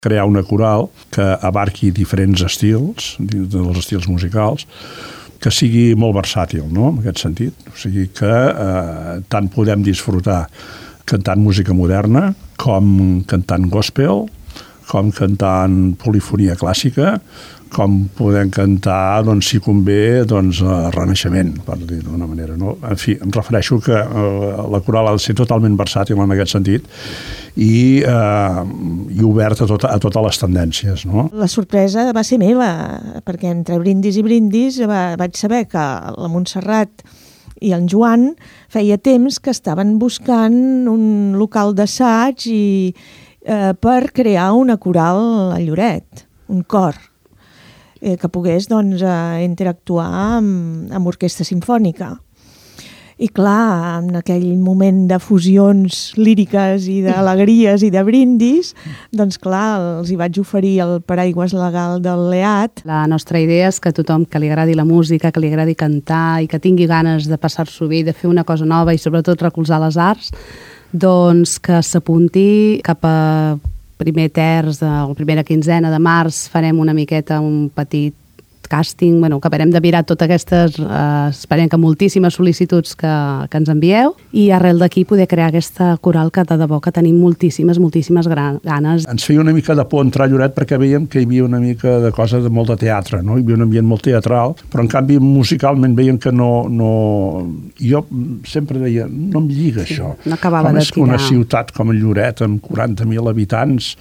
crear una coral que abarqui diferents estils, dels estils musicals, que sigui molt versàtil, no?, en aquest sentit. O sigui que tant podem disfrutar cantant música moderna, com cantant gospel, com cantant polifonia clàssica, com podem cantar, doncs, si convé, doncs, renaixement, per dir d'una manera, no? En fi, em refereixo que la coral ha de ser totalment versàtil en aquest sentit i oberta a totes les tendències, no? La sorpresa va ser meva, perquè entre brindis i brindis vaig saber que la Montserrat i en Joan feia temps que estaven buscant un local d'assaig per crear una coral a Lloret, un cor, que pogués, doncs, interactuar amb orquestra simfònica. I clar, en aquell moment de fusions líriques i d'alegries i de brindis, doncs clar, els hi vaig oferir el paraigües legal del LEAD. La nostra idea és que tothom que li agradi la música, que li agradi cantar i que tingui ganes de passar-s'ho bé, de fer una cosa nova i sobretot recolzar les arts, doncs que s'apunti cap a primer terç, la primera quinzena de març, farem una miqueta un petit càsting, que acabarem de mirar totes aquestes, esperem que moltíssimes sol·licituds que ens envieu, i arrel d'aquí poder crear aquesta coral que de debò que tenim moltíssimes ganes. Ens feia una mica de por entrar a Lloret perquè veiem que hi havia una mica de cosa de molt de teatre, no? Hi havia un ambient molt teatral, però en canvi musicalment veiem que no... Jo sempre deia, no em lliga això. No acabava de tirar. Com és una ciutat com Lloret, amb 40.000 habitants,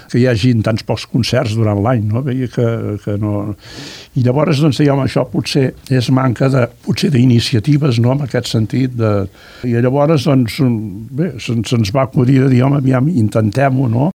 que hi hagi tants pocs concerts durant l'any, no? Veia que no... I llavors, doncs, dèiem, això potser és manca d'iniciatives, no?, en aquest sentit. I llavors, doncs, bé, se'ns va acudir de dir, home, aviam, intentem-ho, no?